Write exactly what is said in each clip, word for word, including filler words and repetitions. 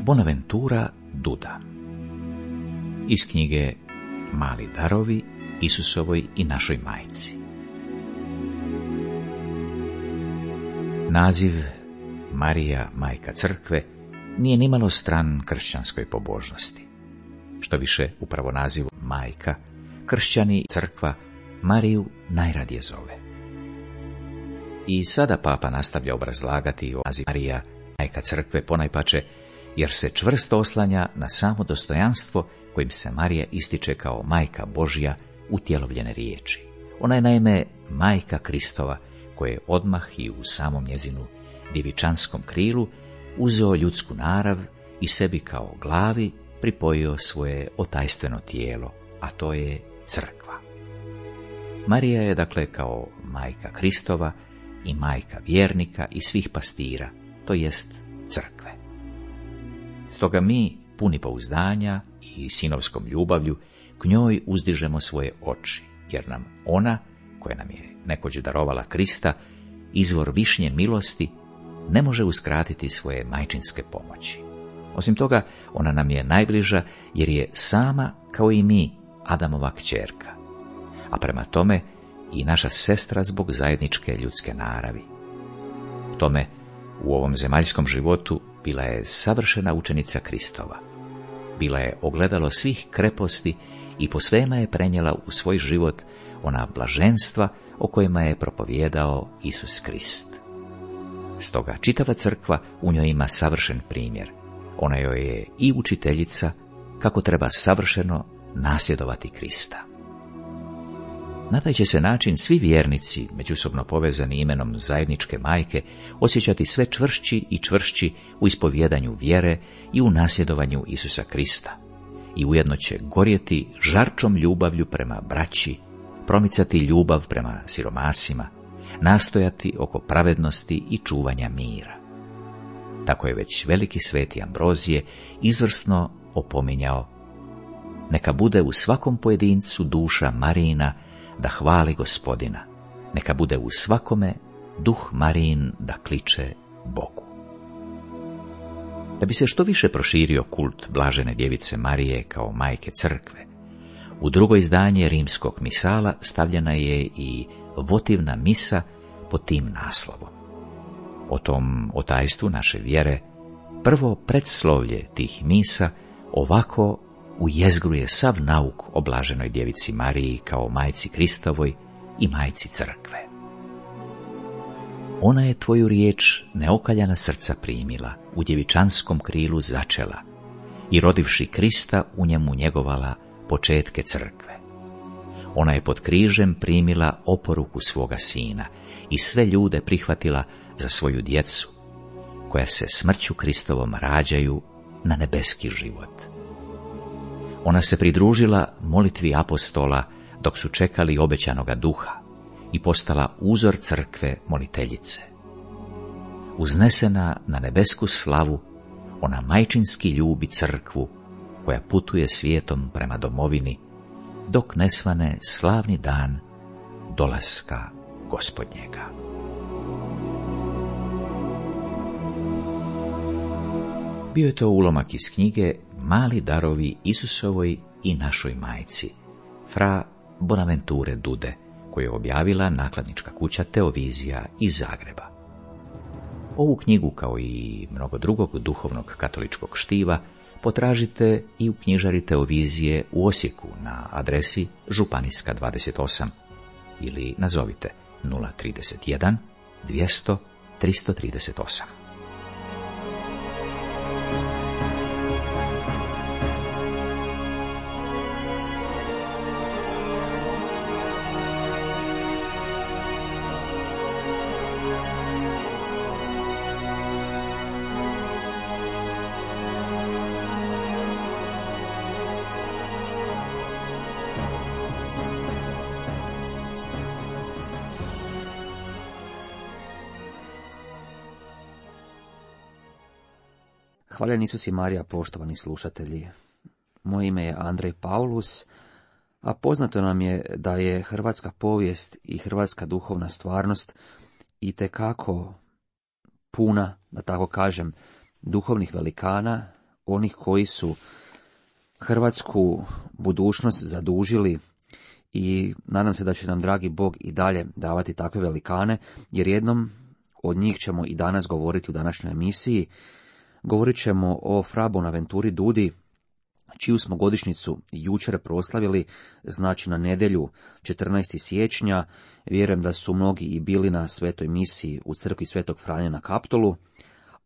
Bonaventura Duda. Iz knjige Mali darovi Isusovoj i našoj majci. Naziv Marija, majka crkve, nije nimalo stran kršćanskoj pobožnosti. Što više, upravo nazivu majka, kršćani crkva Mariju najradije zove. I sada papa nastavlja obrazlagati o nazivu Marija, majka crkve, ponajpače jer se čvrsto oslanja na samo dostojanstvo kojim se Marija ističe kao majka Božja utjelovljene riječi. Ona je naime majka Kristova, koje je odmah i u samom njezinu djevičanskom krilu uzeo ljudsku narav i sebi kao glavi pripojio svoje otajstveno tijelo, a to je crkva. Marija je dakle kao majka Kristova i majka vjernika i svih pastira, to jest crkve. Stoga mi, puni pouzdanja i sinovskom ljubavlju, k njoj uzdižemo svoje oči, jer nam ona, koja nam je nekoć darovala Krista, izvor višnje milosti, ne može uskratiti svoje majčinske pomoći. Osim toga, ona nam je najbliža jer je sama, kao i mi, Adamova kćerka, a prema tome i naša sestra zbog zajedničke ljudske naravi. Tome, u ovom zemaljskom životu bila je savršena učenica Kristova. Bila je ogledalo svih kreposti i po svema je prenijela u svoj život ona blaženstva o kojima je propovijedao Isus Krist. Stoga čitava crkva u njoj ima savršen primjer. Ona joj je i učiteljica kako treba savršeno nasljedovati Krista. Na taj će se način svi vjernici, međusobno povezani imenom zajedničke majke, osjećati sve čvršći i čvršći u ispovjedanju vjere i u nasljedovanju Isusa Krista. I ujedno će gorjeti žarčom ljubavlju prema braći, promicati ljubav prema siromasima, nastojati oko pravednosti i čuvanja mira. Tako je već veliki sveti Ambrozije izvrsno opominjao: neka bude u svakom pojedincu duša Marijina da hvali Gospodina, neka bude u svakome duh Marijin da kliče Bogu. Da bi se što više proširio kult blažene djevice Marije kao majke crkve, u drugo izdanje rimskog misala stavljena je i votivna misa pod tim naslovom. O tom otajstvu naše vjere prvo predslovlje tih misa ovako ujezgruje sav nauk o blaženoj djevici Mariji kao majci Kristovoj i majci crkve. Ona je tvoju riječ neokaljana srca primila, u djevičanskom krilu začela i rodivši Krista u njemu njegovala početke crkve. Ona je pod križem primila oporuku svoga sina i sve ljude prihvatila za svoju djecu, koja se smrću Kristovom rađaju na nebeski život. Ona se pridružila molitvi apostola dok su čekali obećanoga duha i postala uzor crkve moliteljice. Uznesena na nebesku slavu, ona majčinski ljubi crkvu koja putuje svijetom prema domovini, dok ne svane slavni dan dolaska Gospodnjega. Bio je to ulomak iz knjige Mali darovi Isusovoj i našoj majci, fra Bonaventure Dude, koju je objavila nakladnička kuća Teovizija iz Zagreba. Ovu knjigu, kao i mnogo drugog duhovnog katoličkog štiva, potražite i u knjižari Teovizije u Osijeku na adresi Županijska dvadeset osam ili nazovite nula trideset jedan dvjesto tristo trideset osam. Hvaljen Isus i Marija, poštovani slušatelji. Moje ime je Andrej Paulus, a poznato nam je da je hrvatska povijest i hrvatska duhovna stvarnost itekako puna, da tako kažem, duhovnih velikana, onih koji su hrvatsku budućnost zadužili i nadam se da će nam dragi Bog i dalje davati takve velikane, jer jednom od njih ćemo i danas govoriti u današnjoj emisiji. Govorit ćemo o fra Bonaventuri Dudi, čiju smo godišnjicu jučer proslavili, znači na nedjelju četrnaestog siječnja. Vjerujem da su mnogi i bili na svetoj misiji u crkvi Svetog Franje na Kaptolu,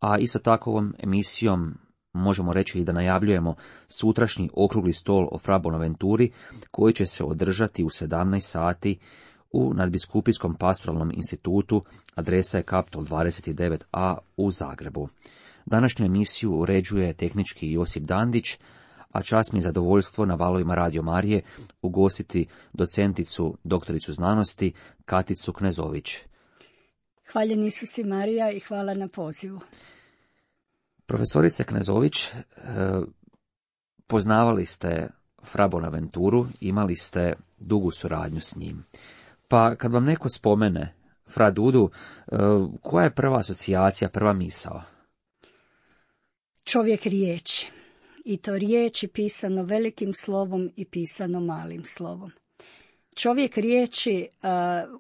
a isto tako ovom emisijom možemo reći i da najavljujemo sutrašnji okrugli stol o fra Bonaventuri, koji će se održati u sedamnaest sati u Nadbiskupijskom pastoralnom institutu, adresa je Kaptol dvadeset devet a u Zagrebu. Današnju emisiju uređuje tehnički Josip Dandić, a čast mi je zadovoljstvo na valovima Radio Marije ugostiti docenticu, doktoricu znanosti Katicu Knezović. Hvaljen Isus i Marija i hvala na pozivu. Profesorice Knezović, poznavali ste fra Bonaventuru, imali ste dugu suradnju s njim. Pa kad vam neko spomene fra Dudu, koja je prva asocijacija, prva misao? Čovjek riječi. I to riječi pisano velikim slovom i pisano malim slovom. Čovjek riječi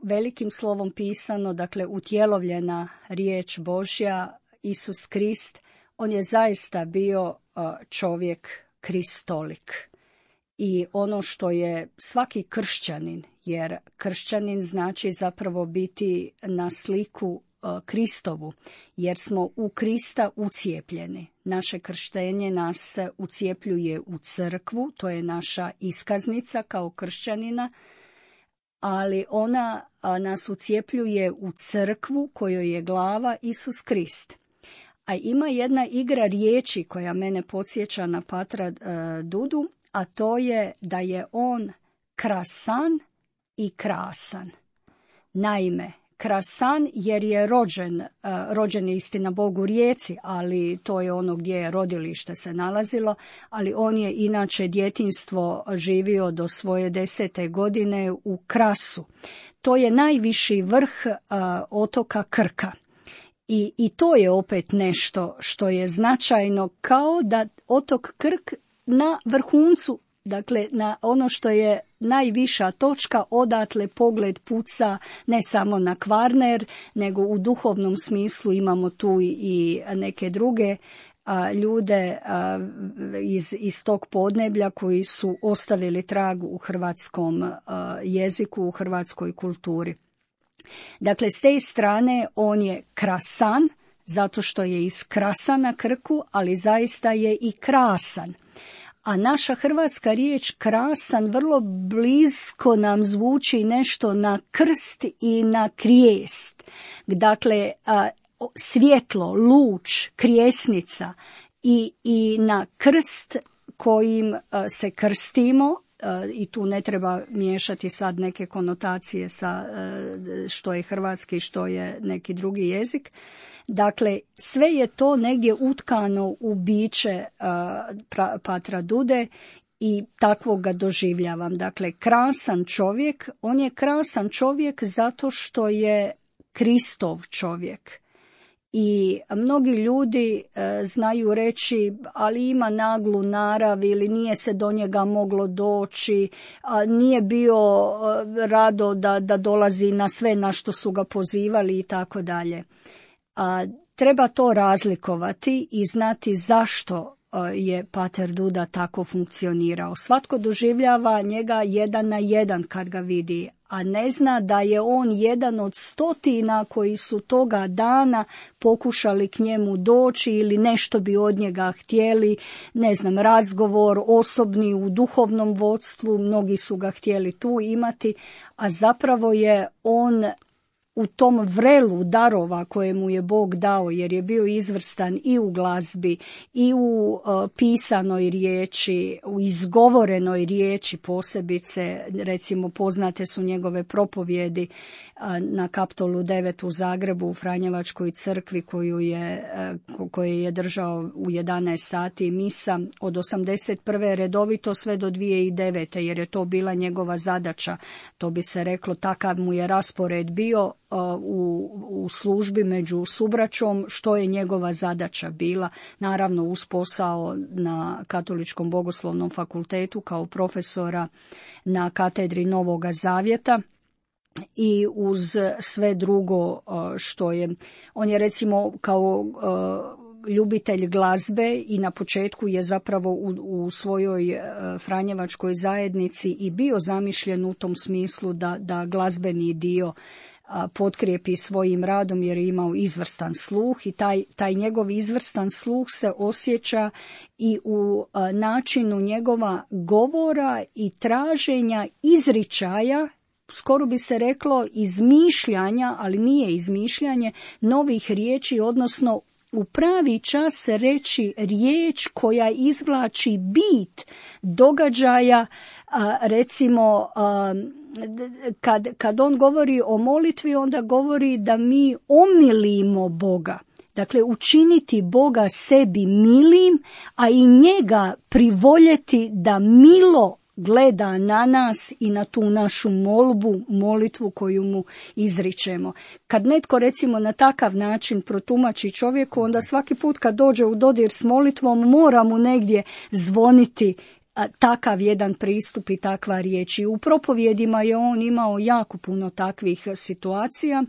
velikim slovom pisano, dakle utjelovljena riječ Božja, Isus Krist, on je zaista bio čovjek kristolik. I ono što je svaki kršćanin, jer kršćanin znači zapravo biti na sliku Kristovu, jer smo u Krista ucijepljeni. Naše krštenje nas ucijepljuje u crkvu, to je naša iskaznica kao kršćanina, ali ona nas ucijepljuje u crkvu kojoj je glava Isus Krist. A ima jedna igra riječi koja mene podsjeća na patra Dudu, a to je da je on krasan i krasan. Naime, krasan jer je rođen, rođen je istina Bog u Rijeci, ali to je ono gdje je rodilište se nalazilo, ali on je inače djetinjstvo živio do svoje desete godine u Krasu. To je najviši vrh a, otoka Krka. I, I to je opet nešto što je značajno, kao da otok Krk na vrhuncu, dakle na ono što je najviša točka, odatle pogled puca ne samo na Kvarner, nego u duhovnom smislu imamo tu i neke druge a, ljude a, iz, iz tog podneblja koji su ostavili trag u hrvatskom a, jeziku, u hrvatskoj kulturi. Dakle, s te strane on je krasan, zato što je iz Krasa na Krku, ali zaista je i krasan. A naša hrvatska riječ krasan vrlo blisko nam zvuči nešto na krst i na krijest. Dakle, svjetlo, luč, krijesnica i, i na krst kojim se krstimo, i tu ne treba miješati sad neke konotacije sa što je hrvatski, što je neki drugi jezik. Dakle, sve je to negdje utkano u biće uh, patra Dude i takvog ga doživljavam. Dakle, krasan čovjek, on je krasan čovjek zato što je Kristov čovjek. I mnogi ljudi uh, znaju reći, ali ima naglu narav ili nije se do njega moglo doći, a nije bio uh, rado da, da dolazi na sve na što su ga pozivali i tako dalje. A treba to razlikovati i znati zašto je pater Duda tako funkcionirao. Svatko doživljava njega jedan na jedan kad ga vidi, a ne zna da je on jedan od stotina koji su toga dana pokušali k njemu doći ili nešto bi od njega htjeli, ne znam, razgovor osobni u duhovnom vodstvu, mnogi su ga htjeli tu imati, a zapravo je on u tom vrelu darova koje mu je Bog dao, jer je bio izvrstan i u glazbi, i u uh, pisanoj riječi, u izgovorenoj riječi posebice, recimo poznate su njegove propovjedi uh, na Kaptolu devet u Zagrebu, u Franjevačkoj crkvi koju je, uh, koje je držao u jedanaest sati misa od osamdeset prve redovito sve do dvije tisuće devete, jer je to bila njegova zadaća. To bi se reklo, takav mu je raspored bio. u, u službi među subraćom, što je njegova zadaća bila, naravno uz posao na Katoličkom bogoslovnom fakultetu kao profesora na katedri Novoga Zavjeta i uz sve drugo što je. On je recimo kao ljubitelj glazbe i na početku je zapravo u, u svojoj franjevačkoj zajednici i bio zamišljen u tom smislu da, da glazbeni dio potkrijepi svojim radom jer je imao izvrstan sluh i taj, taj njegov izvrstan sluh se osjeća i u načinu njegova govora i traženja izričaja, skoro bi se reklo izmišljanja, ali nije izmišljanje, novih riječi, odnosno u pravi čas reći riječ koja izvlači bit događaja, recimo kad, kad on govori o molitvi, onda govori da mi omilimo Boga. Dakle, učiniti Boga sebi milim, a i njega privoljeti da milo gleda na nas i na tu našu molbu, molitvu koju mu izričemo. Kad netko recimo na takav način protumači čovjeku, onda svaki put kad dođe u dodir s molitvom mora mu negdje zvoniti a, takav jedan pristup i takva riječ. I u propovjedima je on imao jako puno takvih situacija.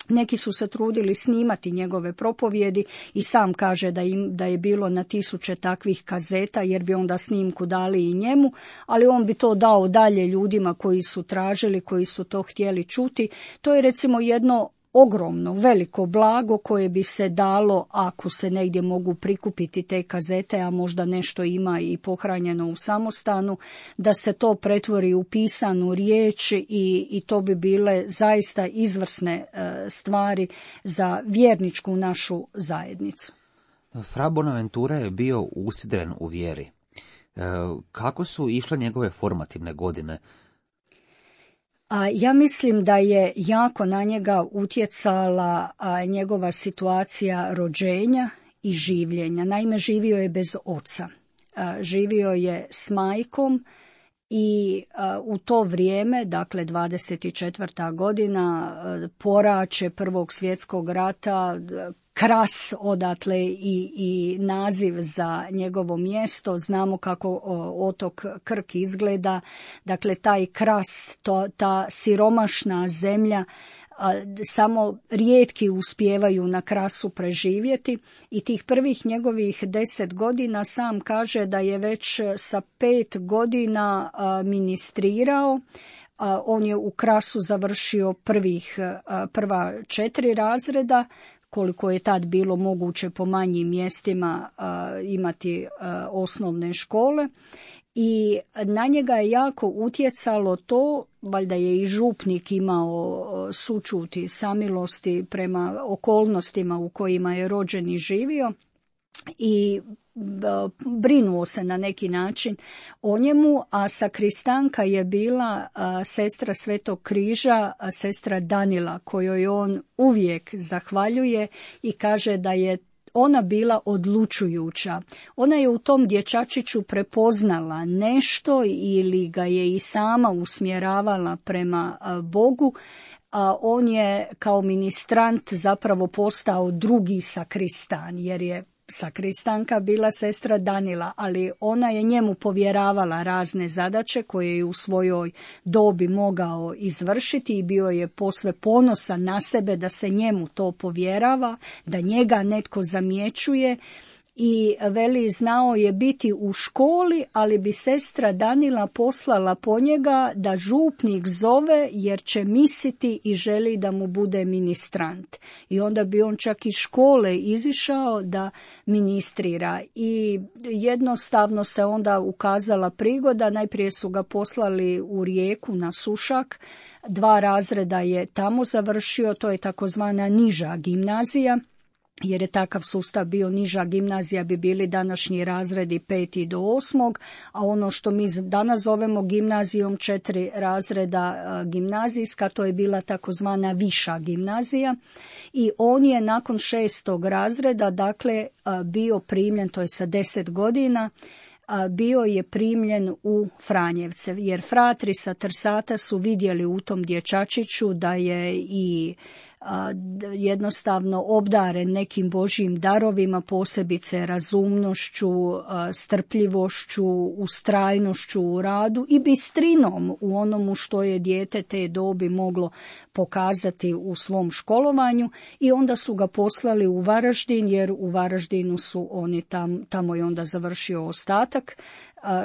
Neki su se trudili snimati njegove propovjedi i sam kaže da, im, da je bilo na tisuće takvih kazeta jer bi onda snimku dali i njemu, ali on bi to dao dalje ljudima koji su tražili, koji su to htjeli čuti. To je recimo jedno ogromno, veliko blago koje bi se dalo ako se negdje mogu prikupiti te kazete, a možda nešto ima i pohranjeno u samostanu, da se to pretvori u pisanu riječ i, i to bi bile zaista izvrsne e, stvari za vjerničku našu zajednicu. Fra Bonaventura je bio usidren u vjeri. E, kako su išle njegove formativne godine? A ja mislim da je jako na njega utjecala a, njegova situacija rođenja i življenja. Naime, živio je bez oca. A, živio je s majkom i a, u to vrijeme, dakle dvadeset četvrta godina, a, poraće Prvog svjetskog rata, Kras odatle i, i naziv za njegovo mjesto. Znamo kako o, otok Krk izgleda. Dakle, taj Kras, to, ta siromašna zemlja, a, samo rijetki uspijevaju na Krasu preživjeti i tih prvih njegovih deset godina sam kaže da je već sa pet godina a, ministrirao. A, on je u Krasu završio prvih, a, prva četiri razreda, koliko je tad bilo moguće po manjim mjestima a, imati a, osnovne škole. I na njega je jako utjecalo to, valjda je i župnik imao sućut i samilosti prema okolnostima u kojima je rođen i živio i brinuo se na neki način o njemu, a sakristanka je bila a, sestra Svetog križa, a sestra Danila, kojoj on uvijek zahvaljuje i kaže da je ona bila odlučujuća. Ona je u tom dječačiću prepoznala nešto ili ga je i sama usmjeravala prema a, Bogu, a on je kao ministrant zapravo postao drugi sakristan, jer je sakristanka bila sestra Danila, ali ona je njemu povjeravala razne zadaće koje je u svojoj dobi mogao izvršiti i bio je posve ponosan na sebe da se njemu to povjerava, da njega netko zamjećuje. I veli, znao je biti u školi, ali bi sestra Danila poslala po njega da župnik zove jer će misliti i želi da mu bude ministrant. I onda bi on čak iz škole izišao da ministrira. I jednostavno se onda ukazala prigoda, najprije su ga poslali u Rijeku na Sušak, dva razreda je tamo završio, to je takozvana niža gimnazija. Jer je takav sustav bio, niža gimnazija bi bili današnji razredi peti do osmog, a ono što mi danas zovemo gimnazijom, četiri razreda gimnazijska, to je bila takozvana viša gimnazija. I on je nakon šestog razreda, dakle, bio primljen, to je sa deset godina, bio je primljen u Franjevce, jer fratri sa Trsata su vidjeli u tom dječačiću da je i jednostavno obdaren nekim Božjim darovima, posebice razumnošću, strpljivošću, ustrajnošću u radu i bistrinom u onomu što je dijete te dobi moglo pokazati u svom školovanju, i onda su ga poslali u Varaždin, jer u Varaždinu su oni tam, tamo je onda završio ostatak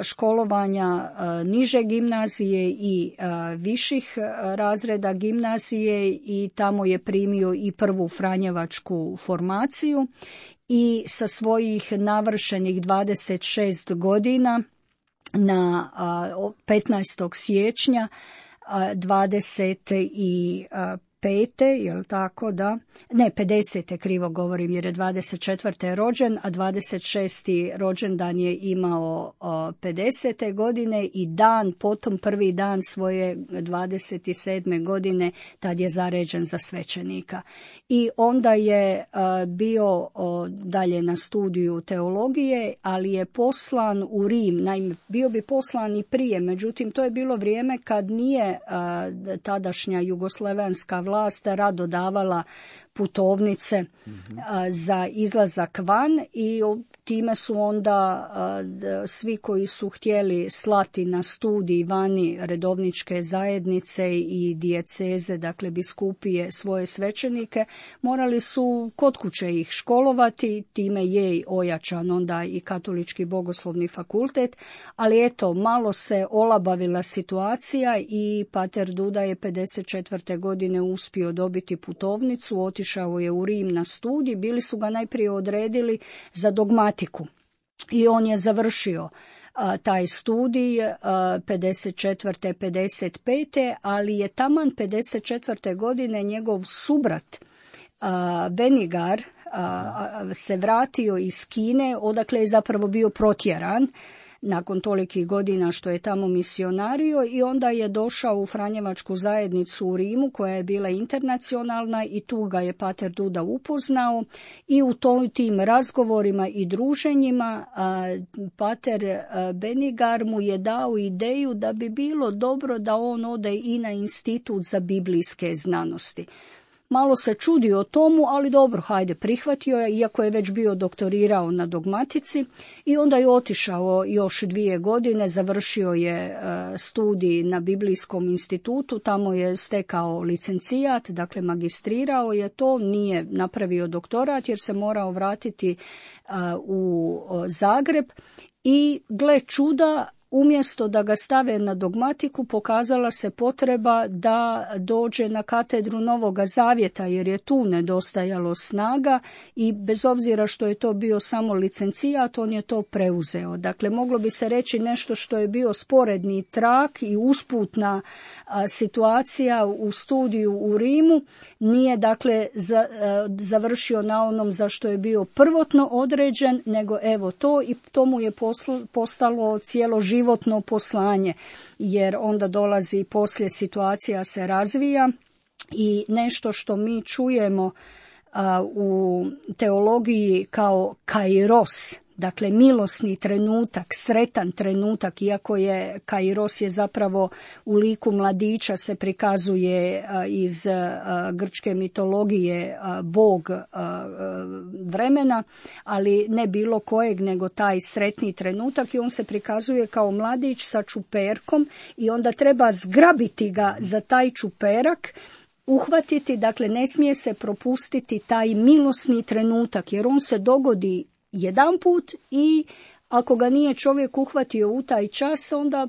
školovanja niže gimnazije i viših razreda gimnazije, i tamo je primio i prvu franjevačku formaciju i sa svojih navršenih dvadeset šest godina na petnaestog siječnja dvadeset pete, jel tako, da? Ne, pedesete, krivo govorim, jer je dvadeset četvrte rođen, a dvadeset šesti rođendan je imao pedesete godine, i dan, potom prvi dan svoje dvadeset sedme godine, tad je zaređen za svećenika. I onda je bio dalje na studiju teologije, ali je poslan u Rim. Naime, bio bi poslan i prije, međutim to je bilo vrijeme kad nije tadašnja jugoslavenska vlast rado davala putovnice mm-hmm. za izlazak van, i time su onda svi koji su htjeli slati na studij vani redovničke zajednice i dijeceze, dakle biskupije, svoje svećenike, morali su kod kuće ih školovati, time je ojačan onda i Katolički bogoslovni fakultet, ali eto, malo se olabavila situacija i pater Duda je pedeset četvrte godine uspio dobiti putovnicu, otišao je u Rim na studij, bili su ga najprije odredili za dogmatiku i on je završio a, taj studij a, pedeset četvrte pedeset pete, ali je taman pedeset četvrte godine njegov subrat a, Benigar a, a, se vratio iz Kine, odakle je zapravo bio protjeran nakon tolikih godina što je tamo misionario, i onda je došao u Franjevačku zajednicu u Rimu koja je bila internacionalna, i tu ga je pater Duda upoznao, i u to, tim razgovorima i druženjima a, pater a, Benigar mu je dao ideju da bi bilo dobro da on ode i na institut za biblijske znanosti. Malo se čudio tomu, ali dobro, hajde, prihvatio je, iako je već bio doktorirao na dogmatici, i onda je otišao još dvije godine, završio je studij na Biblijskom institutu, tamo je stekao licencijat, dakle magistrirao je to, nije napravio doktorat jer se morao vratiti u Zagreb, i gle čuda, umjesto da ga stave na dogmatiku, pokazala se potreba da dođe na katedru Novoga Zavjeta, jer je tu nedostajalo snaga, i bez obzira što je to bio samo licencijat, on je to preuzeo. Dakle, moglo bi se reći nešto što je bio sporedni trak i usputna a, situacija u studiju u Rimu, nije dakle za, a, završio na onom za što je bio prvotno određen, nego evo to, i to mu je posl, postalo cijelo životno poslanje, jer onda dolazi poslije, situacija se razvija, i nešto što mi čujemo a, u teologiji kao kairos, dakle milosni trenutak, sretan trenutak, iako je kairos je zapravo u liku mladića, se prikazuje a, iz a, grčke mitologije a, bog a, vremena, ali ne bilo kojeg, nego taj sretni trenutak, i on se prikazuje kao mladić sa čuperkom, i onda treba zgrabiti ga za taj čuperak, uhvatiti, dakle ne smije se propustiti taj milosni trenutak, jer on se dogodi jedan put, i ako ga nije čovjek uhvatio u taj čas, onda,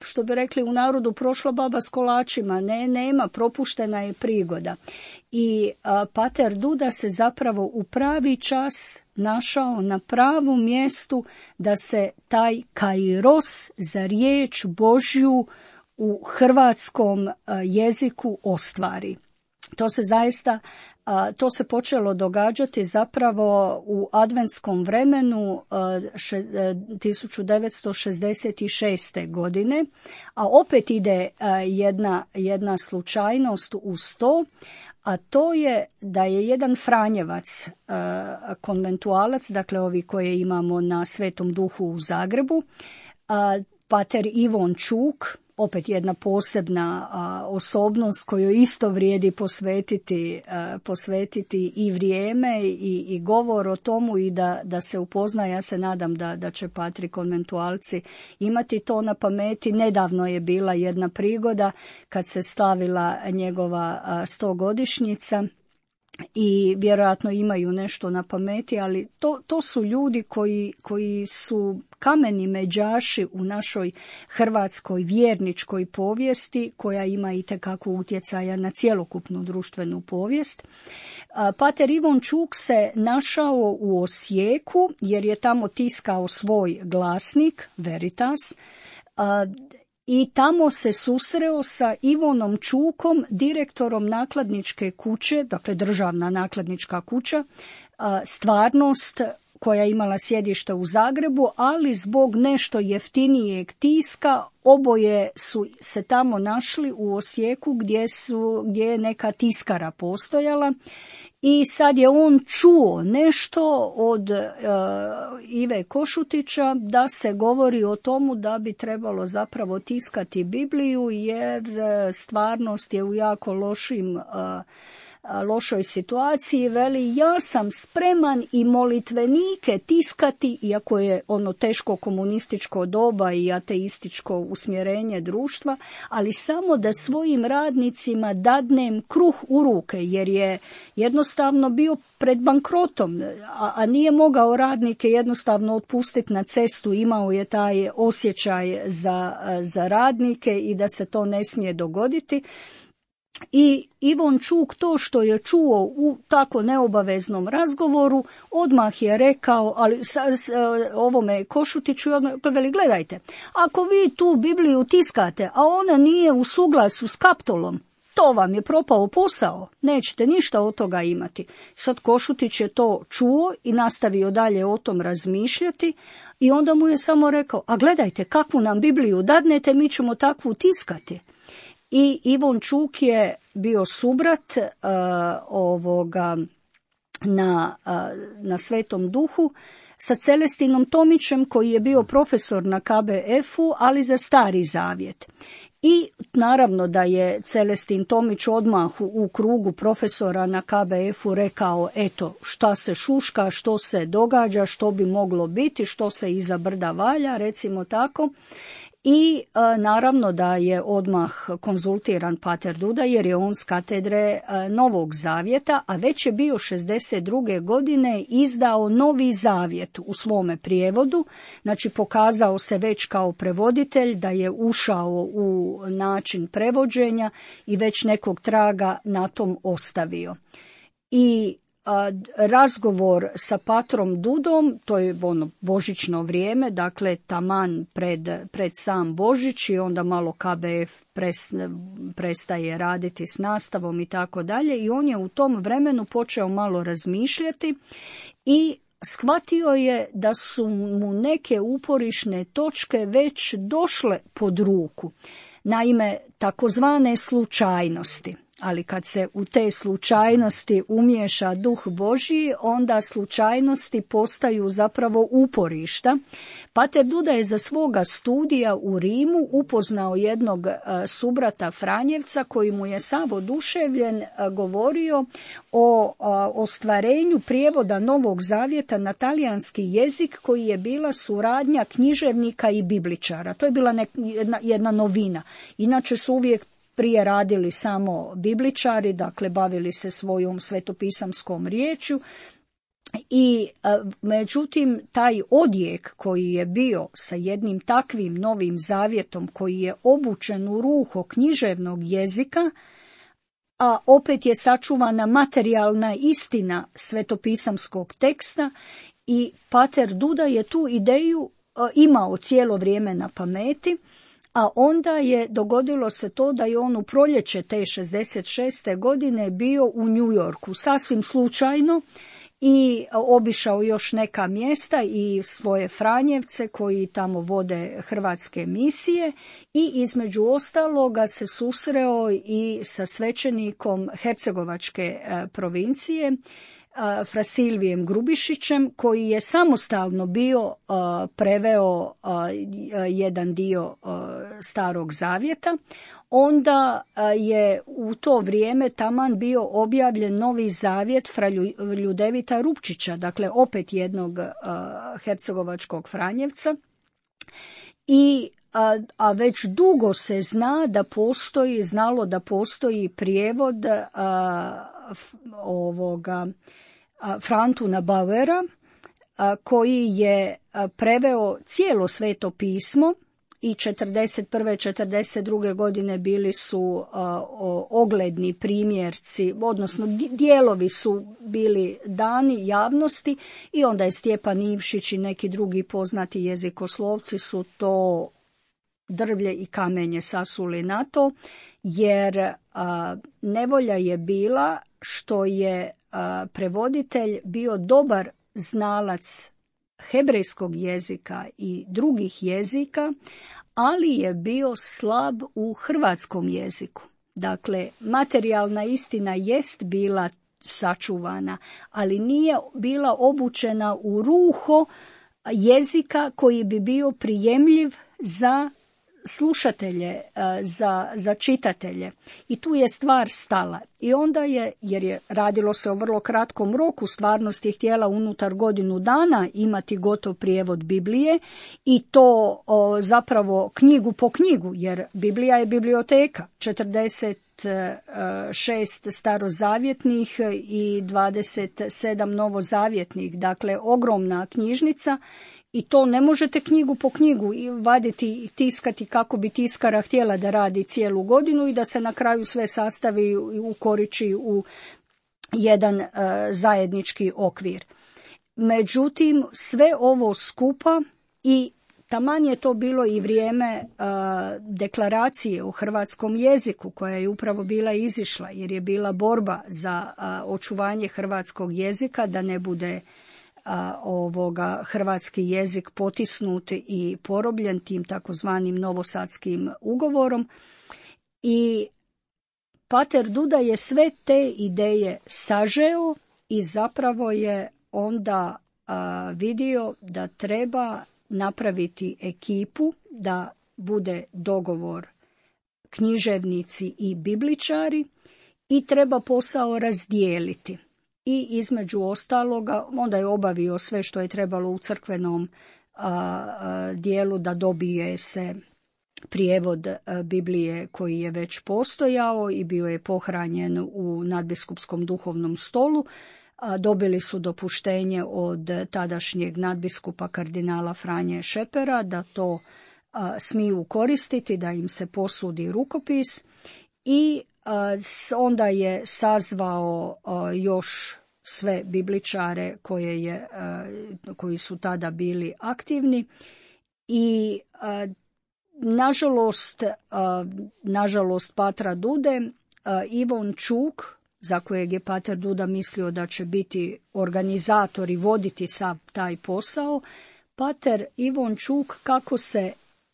što bi rekli u narodu, prošla baba s kolačima, ne, nema, propuštena je prigoda. I a, pater Duda se zapravo u pravi čas našao na pravom mjestu da se taj kairos za riječ Božju u hrvatskom a, jeziku ostvari. To se zaista A, to se počelo događati zapravo u adventskom vremenu a, še, a, tisuću devetsto šezdeset šeste. godine, a opet ide a, jedna, jedna slučajnost uz to, a to je da je jedan Franjevac, a, konventualac, dakle ovi koje imamo na Svetom Duhu u Zagrebu, a, pater Ivon Čuk, opet jedna posebna a, osobnost koju isto vrijedi posvetiti, a, posvetiti i vrijeme i, i govor o tomu i da, da se upozna. Ja se nadam da, da će Patri konventualci imati to na pameti. Nedavno je bila jedna prigoda kad se slavila njegova stogodišnjica i vjerojatno imaju nešto na pameti, ali to, to su ljudi koji, koji su kameni međaši u našoj hrvatskoj vjerničkoj povijesti, koja ima itekako utjecaja na cjelokupnu društvenu povijest. Pater Ivon Čuk se našao u Osijeku jer je tamo tiskao svoj glasnik Veritas, i tamo se susreo sa Ivonom Čukom, direktorom nakladničke kuće, dakle državna nakladnička kuća, Stvarnost, koja je imala sjedište u Zagrebu, ali zbog nešto jeftinijeg tiska oboje su se tamo našli u Osijeku gdje, su, gdje je neka tiskara postojala. I sad je on čuo nešto od uh, Ive Košutića da se govori o tomu da bi trebalo zapravo tiskati Bibliju, jer uh, Stvarnost je u jako lošim uh, lošoj situaciji. Veli, ja sam spreman i molitvenike tiskati, iako je ono teško komunističko doba i ateističko usmjerenje društva, ali samo da svojim radnicima dadnem kruh u ruke, jer je jednostavno bio pred bankrotom, a, a nije mogao radnike jednostavno otpustiti na cestu. Imao je taj osjećaj za, za radnike i da se to ne smije dogoditi. I Ivon Čuk to što je čuo u tako neobaveznom razgovoru odmah je rekao, ali s, s, ovome Košutiću, veli, gledajte, ako vi tu Bibliju tiskate, a ona nije u suglasju s kaptolom, to vam je propao posao, nećete ništa od toga imati. Sad Košutić je to čuo i nastavio dalje o tom razmišljati i onda mu je samo rekao, a gledajte, kakvu nam Bibliju dadnete, mi ćemo takvu tiskati. I Ivon Čuk je bio subrat uh, ovoga na, uh, na Svetom Duhu sa Celestinom Tomićem, koji je bio profesor na K B F-u, ali za Stari Zavjet. I naravno da je Celestin Tomić odmah u, u krugu profesora na K B F-u rekao, eto, šta se šuška, što se događa, što bi moglo biti, što se iza brda valja, recimo tako. I e, naravno da je odmah konzultiran Pater Duda, jer je on s katedre e, Novog Zavjeta, a već je bio šezdeset druge godine izdao Novi Zavjet u svome prijevodu, znači pokazao se već kao prevoditelj, da je ušao u način prevođenja i već nekog traga na tom ostavio. I a, razgovor sa Patrom Dudom, to je ono božićno vrijeme, dakle taman pred, pred sam Božić, i onda malo K B F pres, prestaje raditi s nastavom i tako dalje, i on je u tom vremenu počeo malo razmišljati i shvatio je da su mu neke uporišne točke već došle pod ruku. Naime, takozvane slučajnosti. Ali kad se u te slučajnosti umiješa duh Božji, onda slučajnosti postaju zapravo uporišta. Pater Duda je za svoga studija u Rimu upoznao jednog subrata Franjevca koji mu je sav oduševljen govorio o ostvarenju prijevoda Novog Zavjeta na talijanski jezik, koji je bila suradnja književnika i bibličara. To je bila nek- jedna, jedna novina. Inače su uvijek prije radili samo bibličari, dakle bavili se svojom svetopisamskom riječju, i međutim taj odjek koji je bio sa jednim takvim Novim Zavjetom koji je obučen u ruho književnog jezika, a opet je sačuvana materijalna istina svetopisamskog teksta, i Pater Duda je tu ideju imao cijelo vrijeme na pameti. A onda je dogodilo se to da je on u proljeće te šezdeset šeste godine bio u New Yorku, sasvim slučajno, i obišao još neka mjesta i svoje Franjevce koji tamo vode hrvatske misije, i između ostaloga se susreo i sa svećenikom Hercegovačke provincije, Fra Silvijem Grubišićem, koji je samostalno bio uh, preveo uh, jedan dio uh, Starog zavjeta, onda je u to vrijeme taman bio objavljen Novi zavjet fra Ljudevita Rupčića, dakle opet jednog hercegovačkog Franjevca. I A, a već dugo se zna da postoji, znalo da postoji prijevod a, f, ovoga a, Frantuna Bauera a, koji je a, preveo cijelo Sveto pismo i četrdeset prve. četrdeset druge. godine bili su a, o, ogledni primjerci, odnosno dijelovi su bili dani javnosti i onda je Stjepan Ivšić i neki drugi poznati jezikoslovci su to drvlje i kamenje sasuli na to, jer a, nevolja je bila što je a, prevoditelj bio dobar znalac hebrejskog jezika i drugih jezika, ali je bio slab u hrvatskom jeziku. Dakle, materijalna istina jest bila sačuvana, ali nije bila obučena u ruho jezika koji bi bio prijemljiv za slušatelje, za, za čitatelje. I tu je stvar stala. I onda je, jer je radilo se o vrlo kratkom roku, stvarnost je htjela unutar godinu dana imati gotov prijevod Biblije i to o, zapravo knjigu po knjigu, jer Biblija je biblioteka, četrdeset šest starozavjetnih i dvadeset sedam novozavjetnih, dakle ogromna knjižnica. I to ne možete knjigu po knjigu vaditi i tiskati kako bi tiskara htjela da radi cijelu godinu i da se na kraju sve sastavi i ukoriči u jedan uh, zajednički okvir. Međutim, sve ovo skupa i taman je to bilo i vrijeme uh, deklaracije o hrvatskom jeziku koja je upravo bila izišla jer je bila borba za uh, očuvanje hrvatskog jezika da ne bude A, ovoga hrvatski jezik potisnut i porobljen tim takozvanim novosadskim ugovorom i pater Duda je sve te ideje sažeo i zapravo je onda a, vidio da treba napraviti ekipu da bude dogovor književnici i bibličari i treba posao razdijeliti. I između ostaloga, onda je obavio sve što je trebalo u crkvenom a, a, dijelu da dobije se prijevod a, Biblije koji je već postojao i bio je pohranjen u nadbiskupskom duhovnom stolu. A, dobili su dopuštenje od tadašnjeg nadbiskupa kardinala Franje Šepera da to a, smiju koristiti, da im se posudi rukopis i onda je sazvao još sve bibličare koje je, koji su tada bili aktivni i nažalost, nažalost Patra Dude, Ivon Čuk, za kojeg je pater Duda mislio da će biti organizator i voditi sav taj posao, pater Ivon Čuk kako se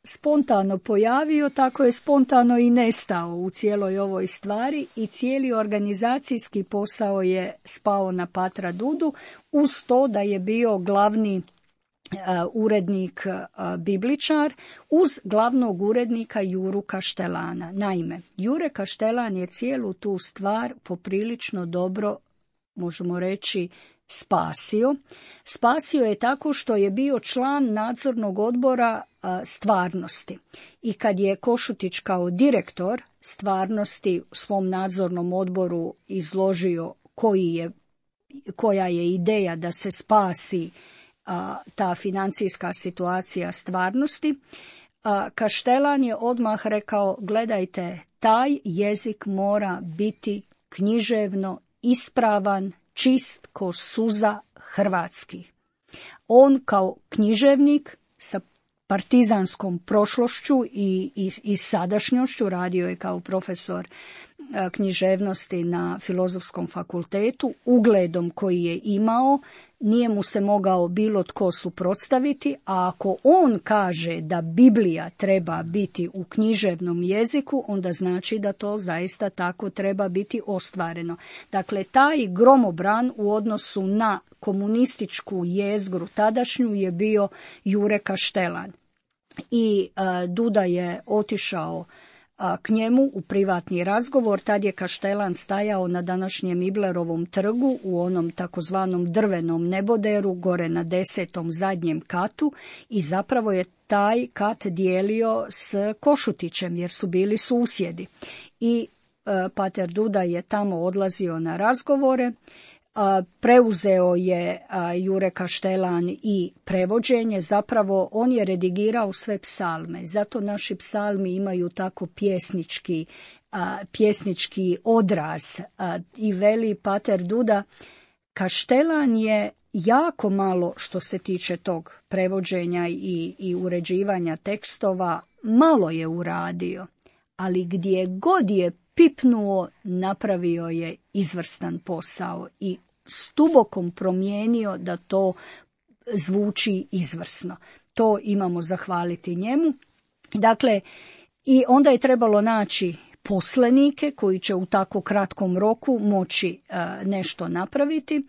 spontano pojavio, tako je spontano i nestao u cijeloj ovoj stvari i cijeli organizacijski posao je spao na patra Dudu, uz to da je bio glavni uh, urednik uh, bibličar, uz glavnog urednika Juru Kaštelana. Naime, Jure Kaštelan je cijelu tu stvar poprilično dobro, možemo reći, spasio. Spasio je tako što je bio član nadzornog odbora a, stvarnosti. I kad je Košutić kao direktor stvarnosti u svom nadzornom odboru izložio koji je, koja je ideja da se spasi a, ta financijska situacija stvarnosti, a, Kaštelan je odmah rekao, gledajte, taj jezik mora biti književno ispravan, čist ko suza hrvatski. On kao književnik sa partizanskom prošlošću i, i, i sadašnjošću, radio je kao profesor književnosti na Filozofskom fakultetu, ugledom koji je imao, nije mu se mogao bilo tko suprotstaviti, a ako on kaže da Biblija treba biti u književnom jeziku, onda znači da to zaista tako treba biti ostvareno. Dakle, taj gromobran u odnosu na komunističku jezgru tadašnju je bio Jure Kaštelan. i a, Duda je otišao a, k njemu u privatni razgovor. Tad je Kaštelan stajao na današnjem Iblerovom trgu u onom takozvanom drvenom neboderu gore na desetom zadnjem katu i zapravo je taj kat dijelio s Košutićem jer su bili susjedi. I a, pater Duda je tamo odlazio na razgovore. A, preuzeo je a, Jure Kaštelan i prevođenje, zapravo on je redigirao sve psalme, zato naši psalmi imaju tako pjesnički, a, pjesnički odraz a, i veli pater Duda, Kaštelan je jako malo što se tiče tog prevođenja i, i uređivanja tekstova, malo je uradio, ali gdje god je pipnuo, napravio je izvrstan posao i stubokom promijenio da to zvuči izvrsno. To imamo zahvaliti njemu. Dakle, i onda je trebalo naći poslenike koji će u tako kratkom roku moći uh, nešto napraviti.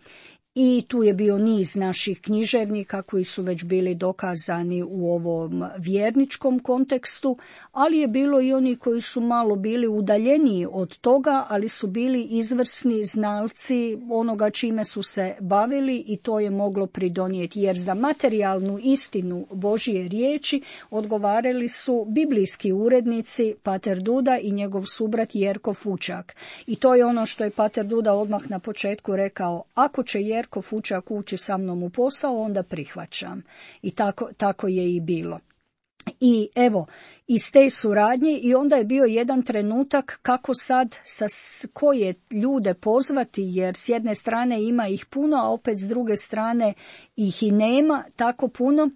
I tu je bio niz naših književnika koji su već bili dokazani u ovom vjerničkom kontekstu, ali je bilo i oni koji su malo bili udaljeniji od toga, ali su bili izvrsni znalci onoga čime su se bavili i to je moglo pridonijeti. Jer za materijalnu istinu Božje riječi odgovarali su biblijski urednici pater Duda i njegov subrat Jerko Fučak. I to je ono što je pater Duda odmah na početku rekao, ako će Jerko Jerko Fučak ući sa mnom u posao, onda prihvaćam. I tako, tako je i bilo. I evo, iz te suradnje i onda je bio jedan trenutak kako sad sa koje ljude pozvati, jer s jedne strane ima ih puno, a opet s druge strane ih i nema tako puno.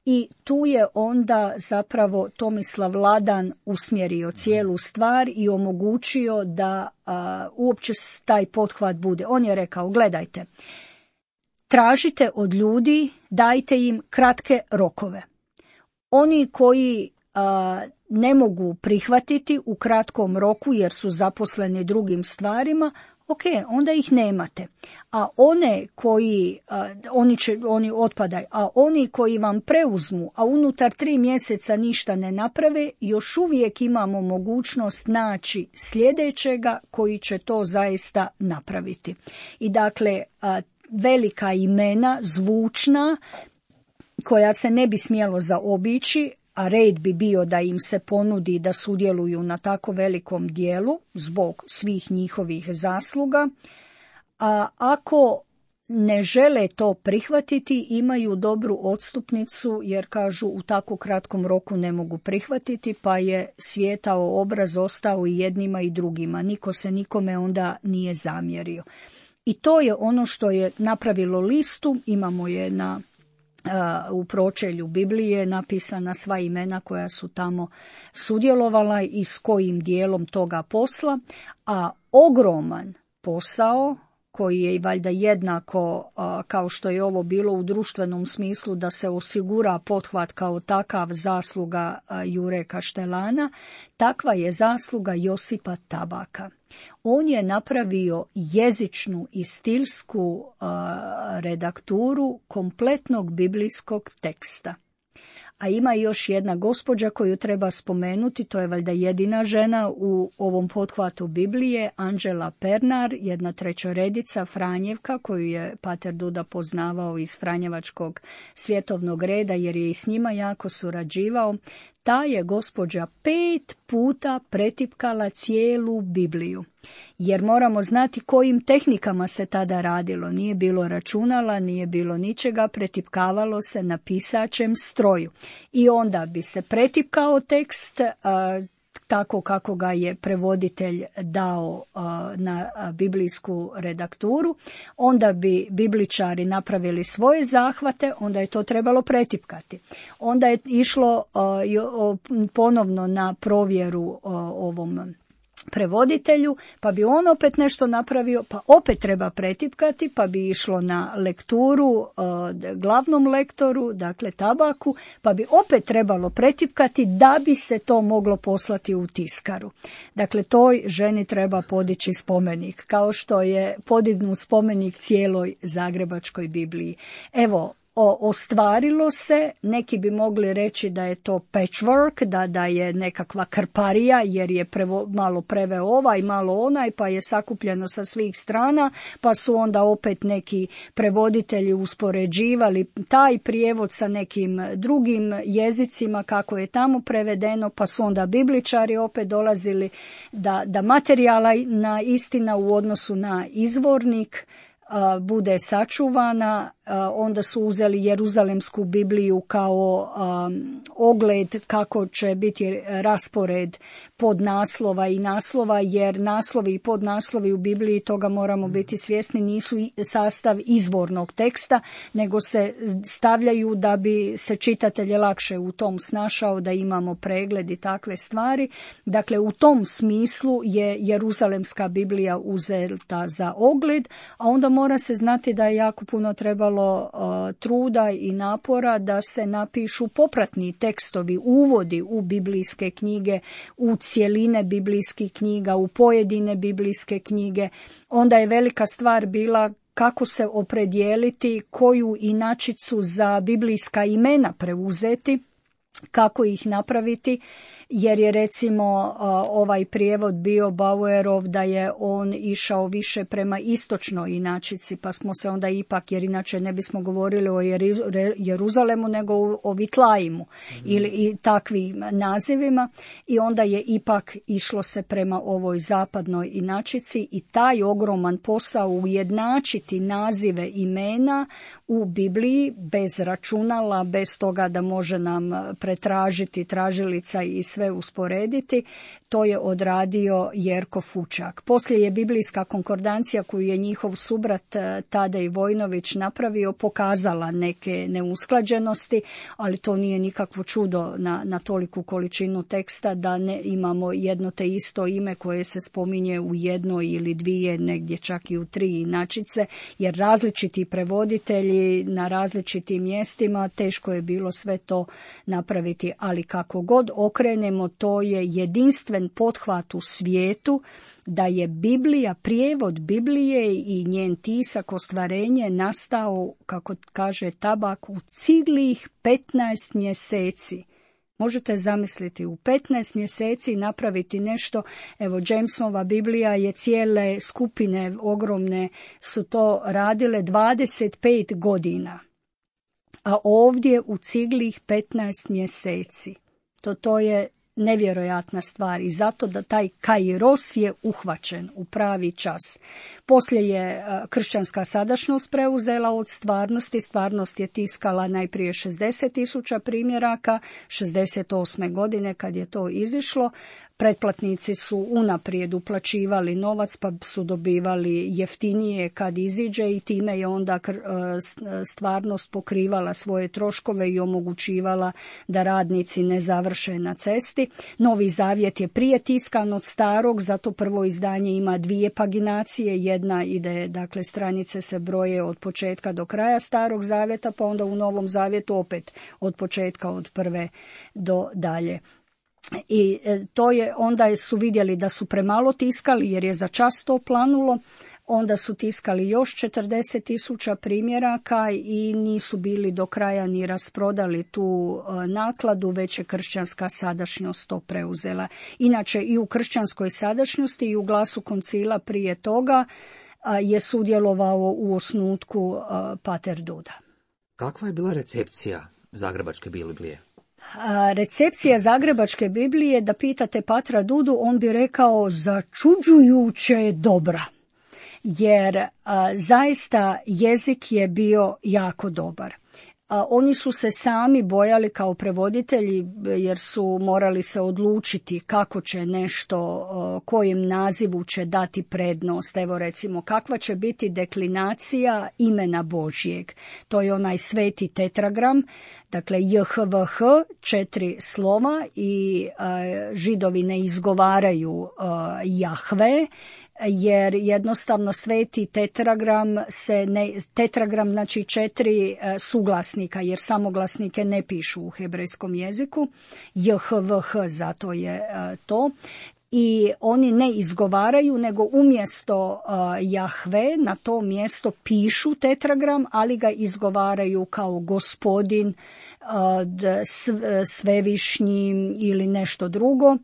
I tu je onda zapravo Tomislav Ladan usmjerio cijelu stvar i omogućio da a, uopće taj pothvat bude. On je rekao, gledajte, tražite od ljudi, dajte im kratke rokove. Oni koji a, ne mogu prihvatiti u kratkom roku jer su zaposleni drugim stvarima, ok, onda ih nemate. A one koji, a, oni, će, oni otpadaju, a oni koji vam preuzmu, a unutar tri mjeseca ništa ne naprave, još uvijek imamo mogućnost naći sljedećega koji će to zaista napraviti. I dakle, a, velika imena, zvučna, koja se ne bi smjelo zaobići, a red bi bio da im se ponudi da sudjeluju na tako velikom dijelu zbog svih njihovih zasluga, a ako ne žele to prihvatiti, imaju dobru odstupnicu jer kažu u tako kratkom roku ne mogu prihvatiti, pa je svijetao obraz ostao i jednima i drugima. Niko se nikome onda nije zamjerio. I to je ono što je napravilo listu, imamo je na u pročelju Biblije napisana sva imena koja su tamo sudjelovala i s kojim dijelom toga posla, a ogroman posao koji je valjda jednako kao što je ovo bilo u društvenom smislu da se osigura pothvat kao takav zasluga Jure Kaštelana, takva je zasluga Josipa Tabaka. On je napravio jezičnu i stilsku uh, redakturu kompletnog biblijskog teksta. A ima još jedna gospođa koju treba spomenuti, to je valjda jedina žena u ovom pothvatu Biblije, Anđela Pernar, jedna trećoredica Franjevka koju je pater Duda poznavao iz Franjevačkog svjetovnog reda jer je i s njima jako surađivao. Ta je gospođa pet puta pretipkala cijelu Bibliju. Jer moramo znati kojim tehnikama se tada radilo. Nije bilo računala, nije bilo ničega, pretipkavalo se na pisačem stroju. I onda bi se pretipkao tekst a, tako kako ga je prevoditelj dao a, na a, biblijsku redakturu. Onda bi bibličari napravili svoje zahvate, onda je to trebalo pretipkati. Onda je išlo a, jo, ponovno na provjeru a, ovom prevoditelju, pa bi on opet nešto napravio, pa opet treba pretipkati, pa bi išlo na lekturu uh, glavnom lektoru, dakle Tabaku, pa bi opet trebalo pretipkati da bi se to moglo poslati u tiskaru. Dakle, toj ženi treba podići spomenik, kao što je podignut spomenik cijeloj Zagrebačkoj Bibliji. Evo, O, ostvarilo se, neki bi mogli reći da je to patchwork, da, da je nekakva krparija jer je prevo, malo preveo ovaj, malo onaj, pa je sakupljeno sa svih strana, pa su onda opet neki prevoditelji uspoređivali taj prijevod sa nekim drugim jezicima kako je tamo prevedeno, pa su onda bibličari opet dolazili da, da materijalna istina u odnosu na izvornik bude sačuvana. Onda su uzeli Jeruzalemsku Bibliju kao um, ogled kako će biti raspored podnaslova i naslova, jer naslovi i podnaslovi u Bibliji, toga moramo biti svjesni, nisu sastav izvornog teksta, nego se stavljaju da bi se čitatelj lakše u tom snašao, da imamo pregled i takve stvari. Dakle, u tom smislu je Jeruzalemska Biblija uzeta za ogled, a onda mora se znati da je jako puno trebalo truda i napora da se napišu popratni tekstovi, uvodi u biblijske knjige, u cjeline biblijskih knjiga, u pojedine biblijske knjige. Onda je velika stvar bila kako se opredijeliti, koju inačicu za biblijska imena preuzeti, kako ih napraviti, jer je recimo ovaj prijevod bio Bauerov da je on išao više prema istočnoj inačici, pa smo se onda ipak, jer inače ne bismo govorili o Jeruzalemu nego o Vitlaimu mm. ili i takvim nazivima, i onda je ipak išlo se prema ovoj zapadnoj inačici i taj ogroman posao ujednačiti nazive imena u Bibliji bez računala, bez toga da može nam pretražiti tražilica i sve usporediti, to je odradio Jerko Fučak. Poslije je biblijska konkordancija koju je njihov subrat Tadej Vojnović napravio pokazala neke neusklađenosti, ali to nije nikakvo čudo na, na toliku količinu teksta da ne imamo jedno te isto ime koje se spominje u jednoj ili dvije, negdje čak i u tri inačice, jer različiti prevoditelji na različitim mjestima, teško je bilo sve to napraviti, ali kako god okrenemo, to je jedinstven pothvat u svijetu da je Biblija, prijevod Biblije i njen tisak, ostvarenje nastao, kako kaže Tabak, u ciglih petnaest mjeseci. Možete zamisliti, u petnaest mjeseci napraviti nešto. Evo, Jamesova Biblija je, cijele skupine ogromne su to radile dvadeset pet godina. A ovdje u ciglih petnaest mjeseci. To, to je nevjerojatna stvar i zato da taj kairos je uhvaćen u pravi čas. Poslije je kršćanska sadašnjost preuzela od stvarnosti. Stvarnost je tiskala najprije šezdeset tisuća primjeraka, šezdeset osme godine kad je to izišlo. Pretplatnici su unaprijed uplaćivali novac pa su dobivali jeftinije kad iziđe i time je onda stvarnost pokrivala svoje troškove i omogućivala da radnici ne završe na cesti. Novi zavjet je prije tiskan od starog, zato prvo izdanje ima dvije paginacije. Jedna ide, dakle stranice se broje od početka do kraja starog zavjeta, pa onda u novom zavjetu opet od početka od prve do dalje. I to je, onda su vidjeli da su premalo tiskali jer je za čas to planulo, onda su tiskali još četrdeset tisuća primjeraka i nisu bili do kraja ni rasprodali tu nakladu, već je kršćanska sadašnjost to preuzela. Inače i u kršćanskoj sadašnjosti i u Glasu koncila prije toga je sudjelovao u osnutku pater Duda. Kakva je bila recepcija Zagrebačke Biblije? Recepcija Zagrebačke Biblije, da pitate patra Dudu, on bi rekao začuđujuće dobra, jer a, zaista jezik je bio jako dobar. A, oni su se sami bojali kao prevoditelji jer su morali se odlučiti kako će nešto, a, kojem nazivu će dati prednost. Evo recimo kakva će biti deklinacija imena Božjeg. To je onaj sveti tetragram. Dakle, J H V H, četiri slova i a, Židovi ne izgovaraju a, Jahve, jer jednostavno sveti tetragram se ne, tetragram znači četiri a, suglasnika, jer samoglasnike ne pišu u hebrejskom jeziku. J H V H, zato je a, to. i oni ne izgovaraju, nego umjesto uh, Jahve na to mjesto pišu tetragram, ali ga izgovaraju kao gospodin, uh, svevišnji ili nešto drugo.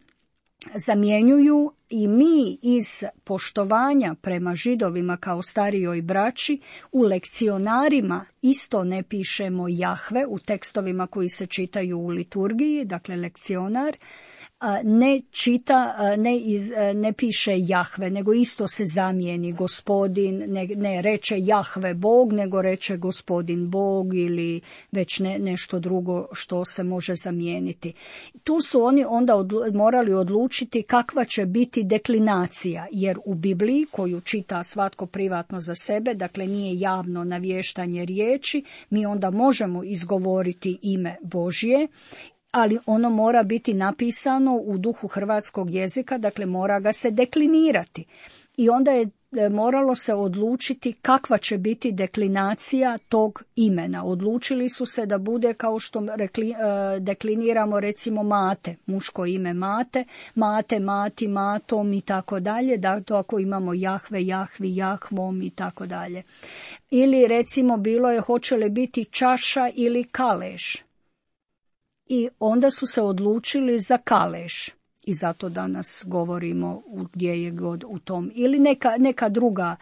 Zamjenjuju i mi iz poštovanja prema Židovima kao starijoj braći u lekcionarima isto ne pišemo Jahve u tekstovima koji se čitaju u liturgiji, dakle lekcionar, ne čita, ne, iz, ne piše Jahve, nego isto se zamijeni gospodin, ne, ne reče Jahve Bog, nego reče gospodin Bog ili već ne, nešto drugo što se može zamijeniti. Tu su oni onda odlu, morali odlučiti kakva će biti deklinacija, jer u Bibliji, koju čita svatko privatno za sebe, dakle nije javno navještanje riječi, mi onda možemo izgovoriti ime Božje, ali ono mora biti napisano u duhu hrvatskog jezika, dakle mora ga se deklinirati. I onda je moralo se odlučiti kakva će biti deklinacija tog imena. Odlučili su se da bude kao što rekli, dekliniramo recimo Mate, muško ime Mate, Mate, Mati, Matom i tako dalje, da to ako imamo Jahve, Jahvi, Jahvom i tako dalje. Ili recimo bilo je hoće li biti Čaša ili Kaleš. I onda su se odlučili za Kaleš i zato danas govorimo gdje je god u tom. Ili neka, neka druga,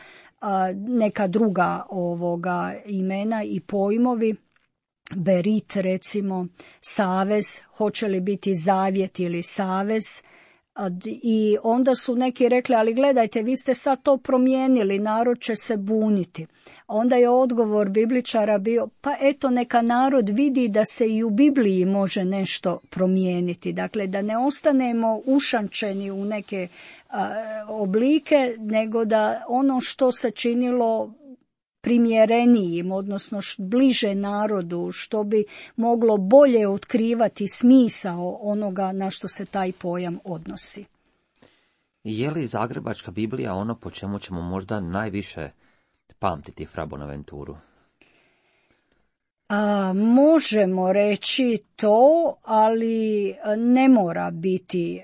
neka druga ovoga imena i pojmovi, Berit recimo, savez, hoće li biti zavjet ili savez. I onda su neki rekli, ali gledajte, vi ste sad to promijenili, narod će se buniti. Onda je odgovor bibličara bio, pa eto neka narod vidi da se i u Bibliji može nešto promijeniti. Dakle, da ne ostanemo ušančeni u neke a, oblike, nego da ono što se činilo primjerenijim, odnosno bliže narodu, što bi moglo bolje otkrivati smisao onoga na što se taj pojam odnosi. Je li Zagrebačka Biblija ono po čemu ćemo možda najviše pamtiti Fra Bonaventuru? A, možemo reći to, ali ne mora biti.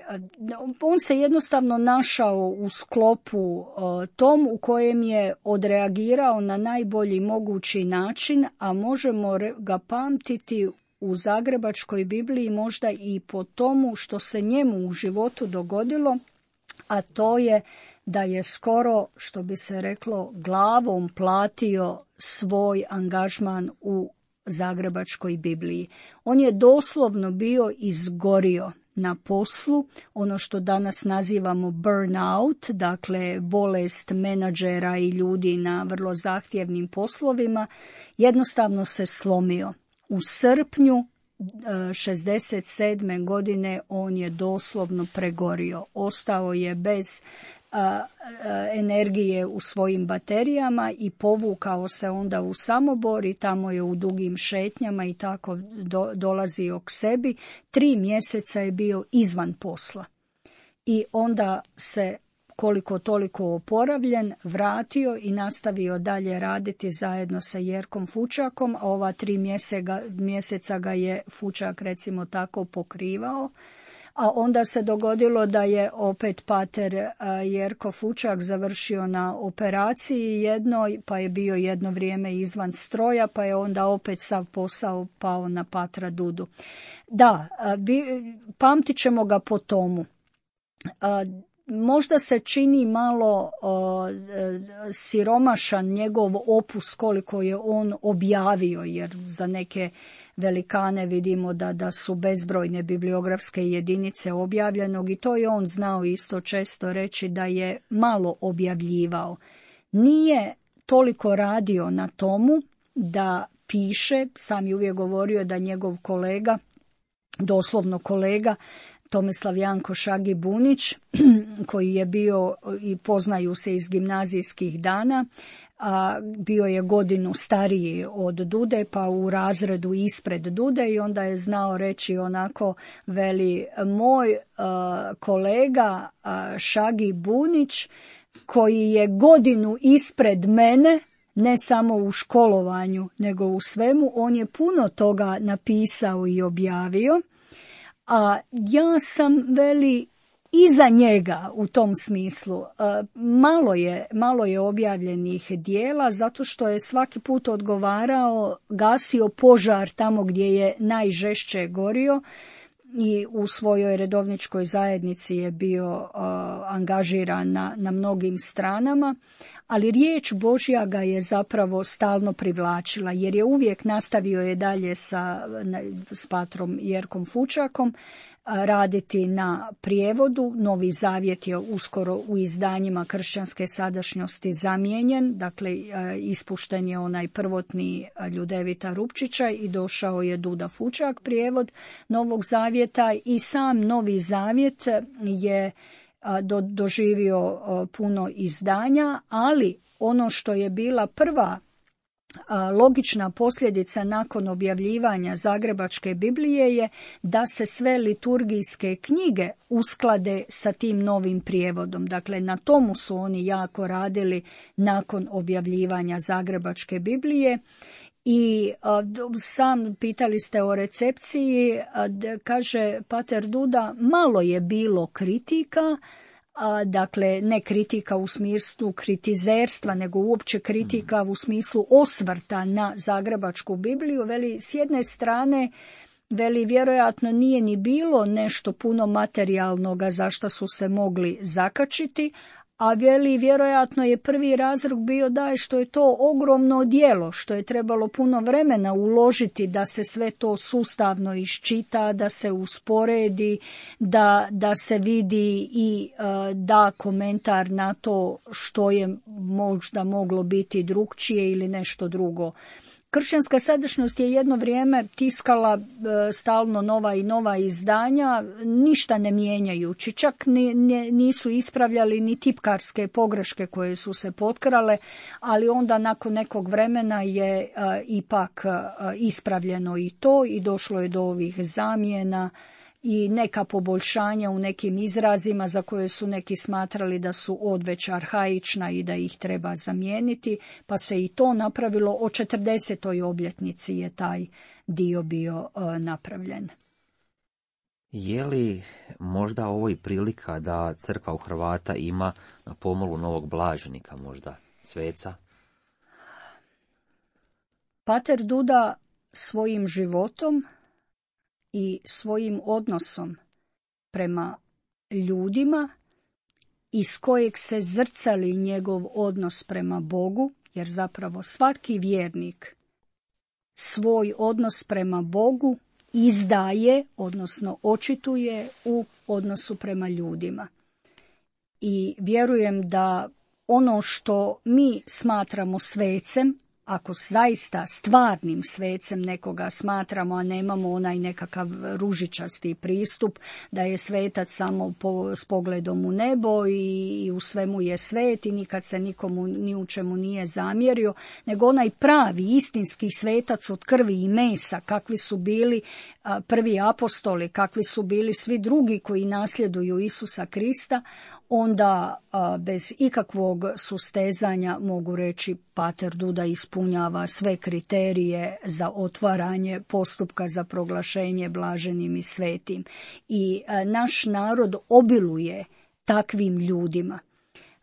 On se jednostavno našao u sklopu a, tom u kojem je odreagirao na najbolji mogući način, a možemo ga pamtiti u Zagrebačkoj Bibliji možda i po tomu što se njemu u životu dogodilo, a to je da je skoro, što bi se reklo, glavom platio svoj angažman u Zagrebačkoj Bibliji. On je doslovno bio izgorio na poslu, ono što danas nazivamo burnout, dakle bolest menadžera i ljudi na vrlo zahtjevnim poslovima, jednostavno se slomio. U srpnju šezdeset sedme godine on je doslovno pregorio. Ostao je bez energije u svojim baterijama i povukao se onda u Samobor i tamo je u dugim šetnjama i tako do, dolazio k sebi. Tri mjeseca je bio izvan posla i onda se koliko toliko oporavljen vratio i nastavio dalje raditi zajedno sa Jerkom Fučakom, a ova tri mjeseca, mjeseca ga je Fučak recimo tako pokrivao. A onda se dogodilo da je opet pater Jerko Fučak završio na operaciji jednoj, pa je bio jedno vrijeme izvan stroja, pa je onda opet sav posao pao na patra Dudu. Da, pamtit ćemo ga po tomu. Možda se čini malo o, siromašan njegov opus koliko je on objavio, jer za neke velikane vidimo da, da su bezbrojne bibliografske jedinice objavljenog i to je on znao isto često reći da je malo objavljivao. Nije toliko radio na tomu da piše, sam je uvijek govorio da njegov kolega, doslovno kolega, Tomislav Janko Šagi Bunić, koji je bio i poznaju se iz gimnazijskih dana, a bio je godinu stariji od Dude, pa u razredu ispred Dude i onda je znao reći onako, veli, moj uh, kolega uh, Šagi Bunić, koji je godinu ispred mene, ne samo u školovanju, nego u svemu, on je puno toga napisao i objavio. A ja sam, veli, iza njega u tom smislu. Malo je, malo je objavljenih dijela zato što je svaki put odgovarao, gasio požar tamo gdje je najžešće gorio i u svojoj redovničkoj zajednici je bio uh, angažiran na, na mnogim stranama, ali riječ Božja ga je zapravo stalno privlačila, jer je uvijek nastavio je dalje sa, s patrom Jerkom Fučakom raditi na prijevodu. Novi Zavjet je uskoro u izdanjima Kršćanske sadašnjosti zamijenjen, dakle ispušten je onaj prvotni Ljudevita Rupčića i došao je Duda Fučak prijevod Novog Zavjeta, i sam Novi Zavjet je do, doživio puno izdanja, ali ono što je bila prva logična posljedica nakon objavljivanja Zagrebačke Biblije je da se sve liturgijske knjige usklade sa tim novim prijevodom. Dakle, na tomu su oni jako radili nakon objavljivanja Zagrebačke Biblije. I a, sam pitali ste o recepciji, a, d, kaže pater Duda, malo je bilo kritika, a, dakle ne kritika u smislu kritizerstva, nego uopće kritika u smislu osvrta na Zagrebačku Bibliju. Veli, s jedne strane, veli, vjerojatno nije ni bilo nešto puno materijalnoga za što su se mogli zakačiti, a veli, vjerojatno je prvi razlog bio da je što je to ogromno djelo, što je trebalo puno vremena uložiti da se sve to sustavno iščita, da se usporedi, da, da se vidi i uh, da komentar na to što je možda moglo biti drukčije ili nešto drugo. Kršćanska sadašnjost je jedno vrijeme tiskala e, stalno nova i nova izdanja, ništa ne mijenjajući, čak ni, ni, nisu ispravljali ni tipkarske pogreške koje su se potkrale, ali onda nakon nekog vremena je e, ipak e, ispravljeno i to i došlo je do ovih zamjena i neka poboljšanja u nekim izrazima za koje su neki smatrali da su odveć arhaična i da ih treba zamijeniti, pa se i to napravilo. O četrdesetoj obljetnici je taj dio bio uh, napravljen. Je li možda ovo i prilika da crkva u Hrvata ima na pomolu novog blaženika, možda sveca? Pater Duda svojim životom i svojim odnosom prema ljudima iz kojeg se zrcali njegov odnos prema Bogu, jer zapravo svaki vjernik svoj odnos prema Bogu izdaje, odnosno očituje u odnosu prema ljudima. I vjerujem da ono što mi smatramo svecem, ako zaista stvarnim svecem nekoga smatramo, a nemamo onaj nekakav ružičasti pristup da je svetac samo po, s pogledom u nebo i, i u svemu je svet i nikad se nikomu ni u čemu nije zamjerio, nego onaj pravi istinski svetac od krvi i mesa, kakvi su bili a, prvi apostoli, kakvi su bili svi drugi koji nasljeduju Isusa Krista, onda a, bez ikakvog sustezanja mogu reći pater Duda ispunjava sve kriterije za otvaranje postupka za proglašenje blaženim i svetim. I a, naš narod obiluje takvim ljudima.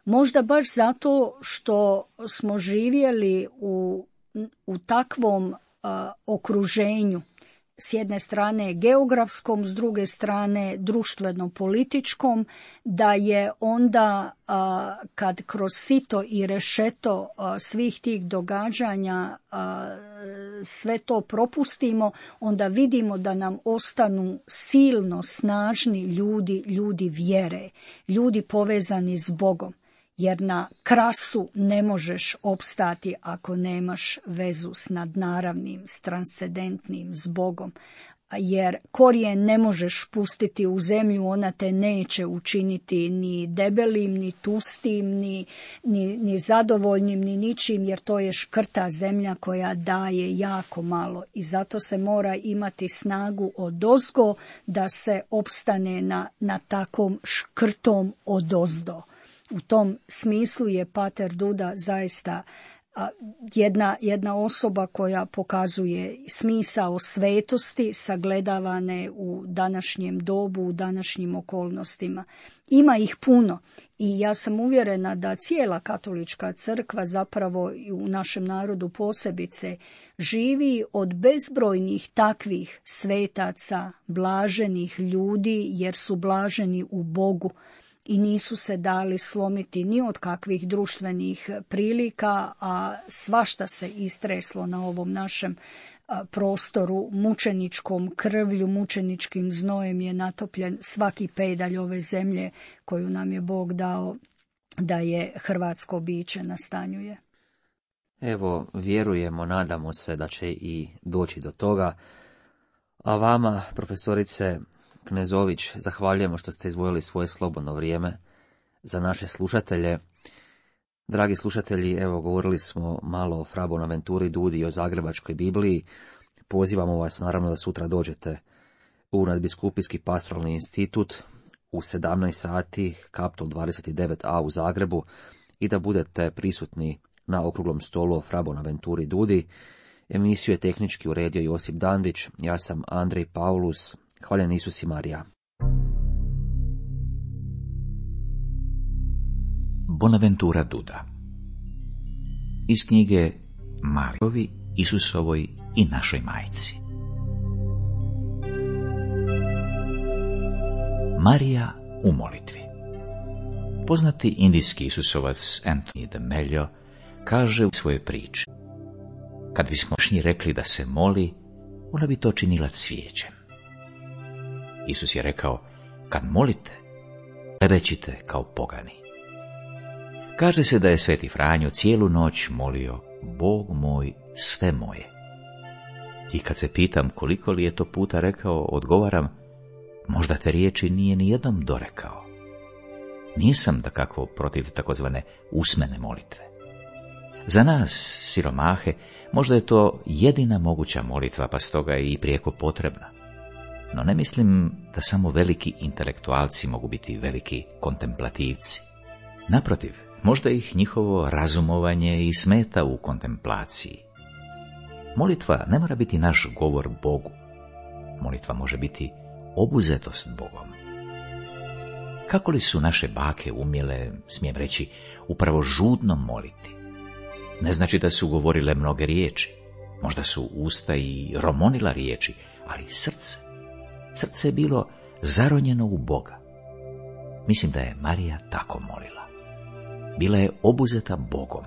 Možda baš zato što smo živjeli u, u takvom a, okruženju, s jedne strane geografskom, s druge strane društveno-političkom, da je onda a, kad kroz sito i rešeto a, svih tih događanja a, sve to propustimo, onda vidimo da nam ostanu silno snažni ljudi, ljudi vjere, ljudi povezani s Bogom. Jer na krasu ne možeš opstati ako nemaš vezu s nadnaravnim, s transcendentnim, s Bogom. Jer korijen ne možeš pustiti u zemlju, ona te neće učiniti ni debelim, ni tustim, ni, ni, ni zadovoljnim, ni ničim, jer to je škrta zemlja koja daje jako malo. I zato se mora imati snagu odozgo da se opstane na, na takvom škrtom odozdo. U tom smislu je pater Duda zaista Jedna, jedna osoba koja pokazuje smisao svetosti sagledavane u današnjem dobu, u današnjim okolnostima. Ima ih puno i ja sam uvjerena da cijela katolička crkva zapravo i u našem narodu posebice živi od bezbrojnih takvih svetaca, blaženih ljudi jer su blaženi u Bogu. I nisu se dali slomiti ni od kakvih društvenih prilika, a svašta se istreslo na ovom našem prostoru mučeničkom krvlju, mučeničkim znojem je natopljen svaki pedalj ove zemlje koju nam je Bog dao da je hrvatsko biće nastanjuje. Evo, vjerujemo, nadamo se da će i doći do toga. A vama, profesorice Knezović, zahvaljujemo što ste izdvojili svoje slobodno vrijeme za naše slušatelje. Dragi slušatelji, evo govorili smo malo o Fra Bonaventuri Dudi i o Zagrebačkoj Bibliji. Pozivamo vas naravno da sutra dođete u Nadbiskupijski pastoralni institut u sedamnaest sati, Kaptol dvadeset devet a u Zagrebu i da budete prisutni na okruglom stolu o Fra Bonaventuri Dudi. Emisiju je tehnički uredio Josip Dandić, ja sam Andrej Paulus. Hvaljen Isus i Marija. Bonaventura Duda. Iz knjige Marijovi, Isusovoj i našoj majci. Marija u molitvi. Poznati indijski Isusovac Anthony de Mello kaže u svojoj priči: kad bismošnji rekli da se moli, ona bi to činila cvijećem. Isus je rekao: kad molite, klebećite kao pogani. Kaže se da je sveti Franjo cijelu noć molio: Bog moj, sve moje. I kad se pitam koliko li je to puta rekao, odgovaram: možda te riječi nije ni jednom dorekao. Nisam dakako protiv takozvane usmene molitve. Za nas, siromahe, možda je to jedina moguća molitva, pa stoga je i prijeko potrebna. No ne mislim da samo veliki intelektualci mogu biti veliki kontemplativci. Naprotiv, možda ih njihovo razumovanje i smeta u kontemplaciji. Molitva ne mora biti naš govor Bogu. Molitva može biti obuzetost Bogom. Kako li su naše bake umjele, smijem reći, upravo žudno moliti? Ne znači da su govorile mnoge riječi, možda su usta i romonila riječi, ali srce, srce je bilo zaronjeno u Boga. Mislim da je Marija tako molila. Bila je obuzeta Bogom,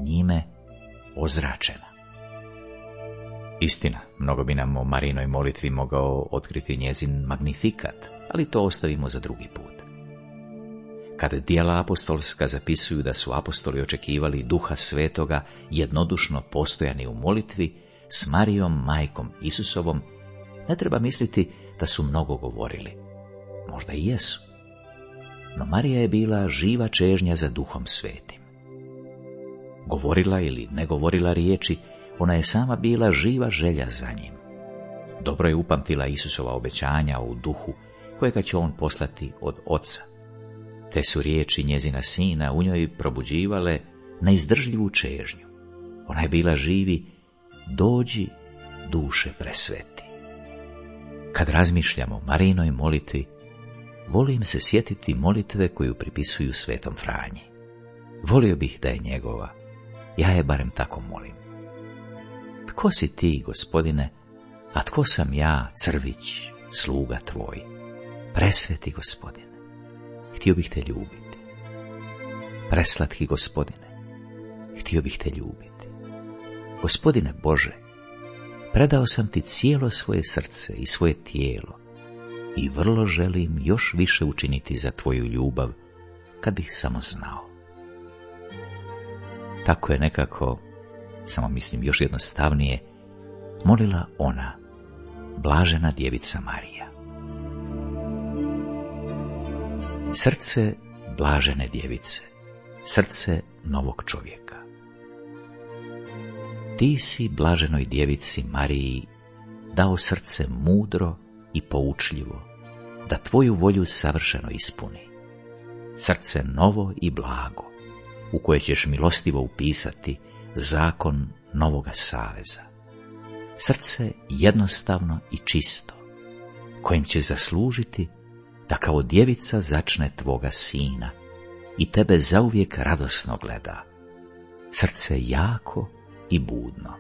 njime ozračena. Istina, mnogo bi nam o Marijinoj molitvi mogao otkriti njezin magnifikat, ali to ostavimo za drugi put. Kad djela apostolska zapisuju da su apostoli očekivali Duha Svetoga jednodušno postojani u molitvi s Marijom, majkom Isusovom, ne treba misliti da su mnogo govorili. Možda i jesu. No Marija je bila živa čežnja za Duhom Svetim. Govorila ili ne govorila riječi, ona je sama bila živa želja za njim. Dobro je upamtila Isusova obećanja u duhu kojega će on poslati od Oca. Te su riječi njezina sina u njoj probuđivale neizdržljivu čežnju. Ona je bila živi: dođi, duše presveti. Kad razmišljamo o Marijinoj molitvi, volim se sjetiti molitve koju pripisuju svetom Franji. Volio bih da je njegova, ja je barem tako molim. Tko si ti, Gospodine, a tko sam ja, crvić, sluga tvoj? Presveti Gospodine, htio bih te ljubiti. Preslatki Gospodine, htio bih te ljubiti. Gospodine Bože, predao sam ti cijelo svoje srce i svoje tijelo i vrlo želim još više učiniti za tvoju ljubav, kad bih samo znao. Tako je nekako, samo mislim još jednostavnije, molila ona, blažena djevica Marija. Srce blažene djevice, srce novog čovjeka. Ti si blaženoj djevici Mariji dao srce mudro i poučljivo, da tvoju volju savršeno ispuni. Srce novo i blago, u koje ćeš milostivo upisati zakon novoga saveza. Srce jednostavno i čisto, kojim će zaslužiti da kao djevica začne tvoga sina i tebe zauvijek radosno gleda. Srce jako i budno,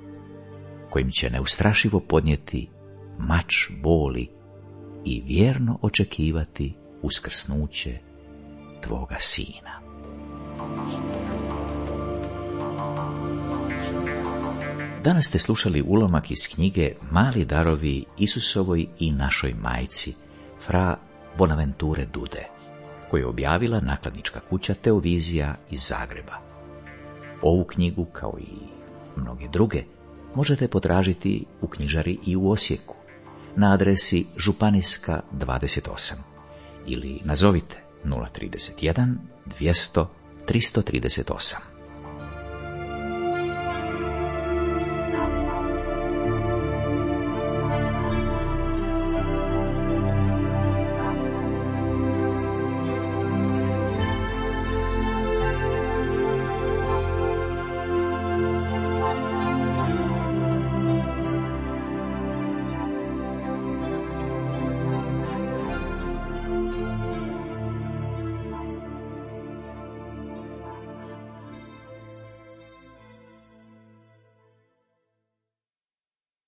kojim će neustrašivo podnijeti mač boli i vjerno očekivati uskrsnuće tvoga sina. Danas ste slušali ulomak iz knjige Mali darovi Isusovoj i našoj majci, fra Bonaventure Dude, koju je objavila nakladnička kuća Teovizija iz Zagreba. Ovu knjigu, kao i mnoge druge, možete potražiti u knjižari i u Osijeku, na adresi Županijska dvadeset osam, ili nazovite nula trideset jedan dvjesto tristo trideset osam.